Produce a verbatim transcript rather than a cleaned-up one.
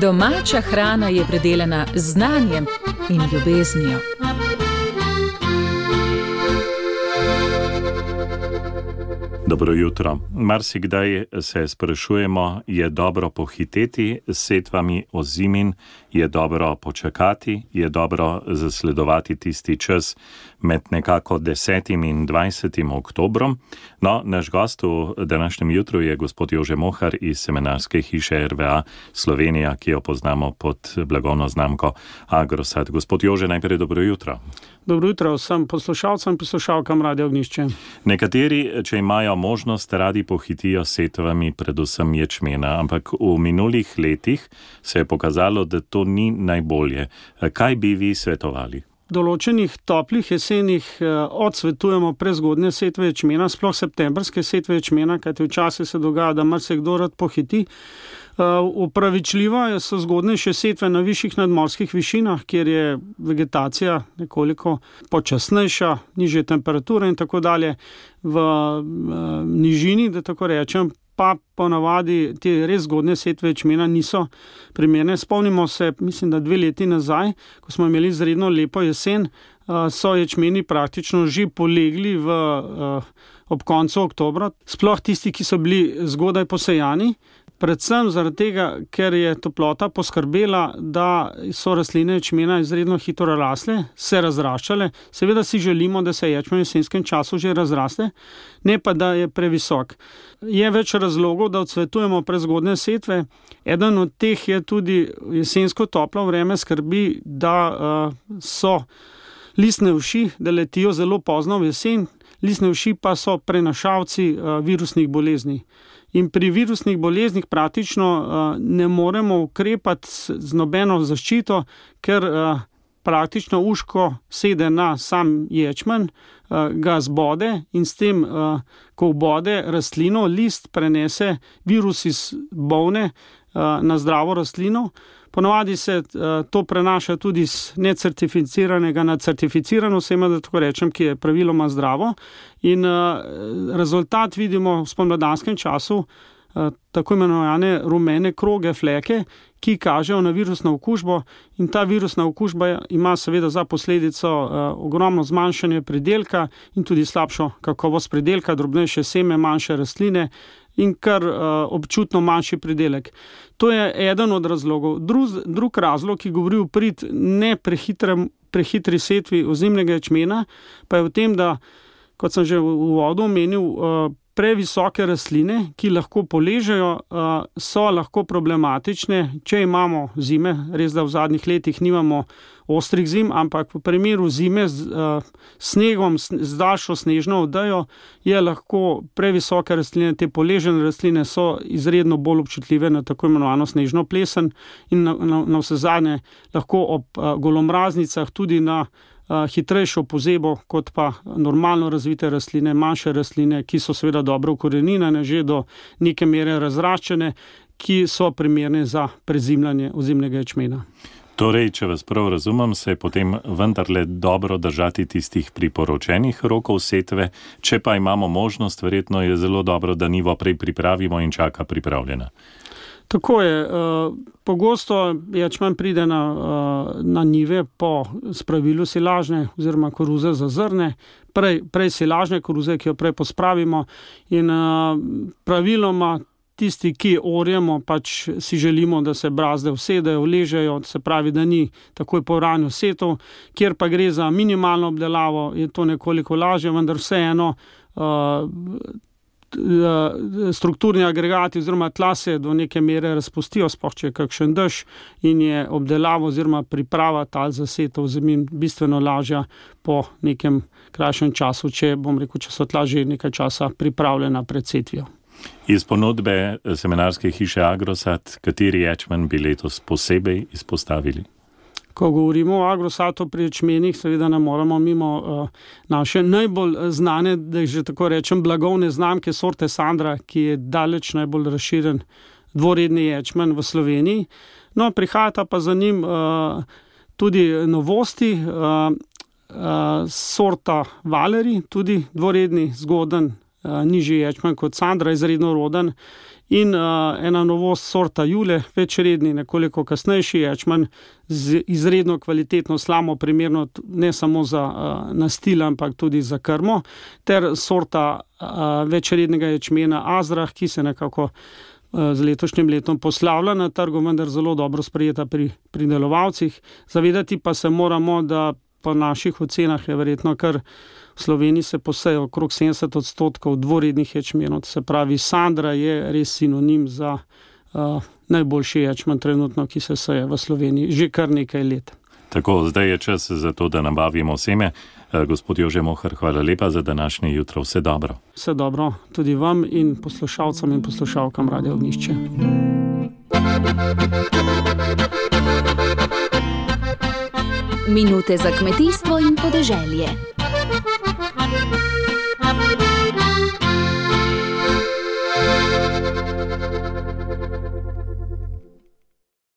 Domača hrana je predelana z znanjem in ljubeznijo. Dobro jutro. Marsikdaj se sprašujemo, je dobro pohiteti s setvami ozimin, je dobro počakati, je dobro zasledovati tisti čas med nekako desetim in dvajsetim oktobrom. No, naš gost v današnjem jutru je gospod Jože Mohar iz semenarske hiše R V A Slovenija, ki jo poznamo pod blagovno znamko Agrosad. Gospod Jože, najprej dobro jutro. Dobro jutro vsem poslušalcem in poslušalkam Radia Ognjišče. Nekateri, če imajo možnost, radi pohitijo s setvami, predvsem ječmena, ampak v minulih letih se je pokazalo, da to ni najbolje. Kaj bi vi svetovali? V določenih toplih jesenih odsvetujemo prezgodnje setve ječmena, sploh septembrske setve ječmena, kajti včasih se dogaja, da marsikdo rad pohiti. Upravičljivo so zgodnejše setve na višjih nadmorskih višinah, kjer je vegetacija nekoliko počasnejša, nižje temperature in tako dalje. V nižini, da tako rečem, pa ponavadi te res zgodnje setve ječmena niso primerne. Spomnimo se, mislim, da dve leti nazaj, ko smo imeli izredno lepo jesen, so ječmeni praktično že polegli v, ob koncu oktobra, sploh tisti, ki so bili zgodaj posejani. Predvsem zaradi tega, ker je toplota poskrbela, da so rastline ječmena izredno hitro rasle, se razraščale. Seveda si želimo, da se ječmen v jesenskem času že razraste, ne pa da je previsok. Je več razlogov, da odsvetujemo prezgodne setve. Eden od teh je tudi jesensko toplo vreme skrbi, da uh, so listne uši, da letijo zelo pozno v jesen. Listne uši pa so prenašalci uh, virusnih bolezni. In pri virusnih boleznih praktično uh, ne moremo ukrepati z nobeno zaščito, ker uh, praktično uško sede na sam ječmen, uh, ga zbode in s tem, uh, ko vbode rastlino, list prenese virus iz bolne uh, na zdravo rastlino. Ponavadi se uh, to prenaša tudi z necertificiranega na certificirano seme, da tako rečem, ki je praviloma zdravo. In uh, rezultat vidimo v spomladanskem času, uh, tako imenovane rumene kroge, fleke, ki kažejo na virusno okužbo. In ta virusna okužba ima seveda za posledico uh, ogromno zmanjšanje pridelka in tudi slabšo kakovost pridelka, drobnejše seme, manjše rastline in kar uh, občutno manjši pridelek. To je eden od razlogov. Drug, drug razlog, ki govori v prid ne prehitrem, prehitri setvi ozimnega ječmena, pa je v tem, da, kot sem že v uvodu omenil, uh, previsoke rastline, ki lahko poležejo, uh, so lahko problematične, če imamo zime. Res, da v zadnjih letih nimamo ostrih zim, ampak v primeru zime z uh, snegom, z daljšo snežno odejo, je lahko previsoke rastline, te poležene rastline so izredno bolj občutljive na tako imenovano snežno plesen in na, na, na vse zadnje lahko ob uh, golomraznicah tudi na uh, hitrejšo pozebo, kot pa normalno razvite rastline, manjše rastline, ki so seveda dobro ukoreninjene, že do neke mere razraščene, ki so primerne za prezimljanje ozimnega ječmena. Torej, če vas prav razumem, se je potem vendarle dobro držati tistih priporočenih rokov setve, če pa imamo možnost, verjetno je zelo dobro, da nivo prej pripravimo in čaka pripravljena. Tako je. Pogosto ječmen pride na, na njive po spravilu silažne oziroma koruze za zrne, prej, prej silažne koruze, ki jo prej pospravimo in praviloma tisti, ki orjemo, pač si želimo, da se brazde usedejo, ležejo, se pravi, da ni takoj po ranju setov, kjer pa gre za minimalno obdelavo, je to nekoliko lažje, vendar vseeno uh, strukturni agregati oziroma tla se do neke mere razpustijo, sploh če je kakšen dež in je obdelava oziroma priprava tal za setov zemin bistveno lažja po nekem krajšem času, če bom rekel, če so tla že nekaj časa pripravljena pred setvijo. Iz ponudbe semenarske hiše Agrosad, kateri ječmen bi letos posebej izpostavili? Ko govorimo o Agrosatu pri ječmenih, seveda ne moramo mimo uh, naše najbolj znane, da že tako rečem, blagovne znamke sorte Sandra, ki je daleč najbolj razširjen dvoredni ječmen v Sloveniji. No, prihajata pa za njim uh, tudi novosti, uh, uh, sorta Valeri, tudi dvoredni, zgoden, nižji ječmen kot Sandra, izredno roden. In uh, ena novost sorta Jule, večredni, nekoliko kasnejši ječmen z izredno kvalitetno slamo, primerno ne samo za uh, nastil, ampak tudi za krmo, ter sorta uh, večrednega ječmena Azrah, ki se nekako uh, z letošnjim letom poslavlja na trgu, vendar zelo dobro sprejeta pri pridelovalcih. Zavedati pa se moramo, da po naših ocenah je verjetno kar v Sloveniji se poseje okrog sedemdeset odstotkov dvorednih ječmenov, se pravi Sandra je res sinonim za uh, najboljši ječmen trenutno, ki se seje v Sloveniji že kar nekaj let. Tako, zdaj je čas za to, da nabavimo seme. Gospod Jože Mohar, hvala lepa za današnje jutro. Vse dobro. Vse dobro tudi vam in poslušalcem in poslušalkam Radia Ognjišče. Minute za kmetijstvo in podeželje.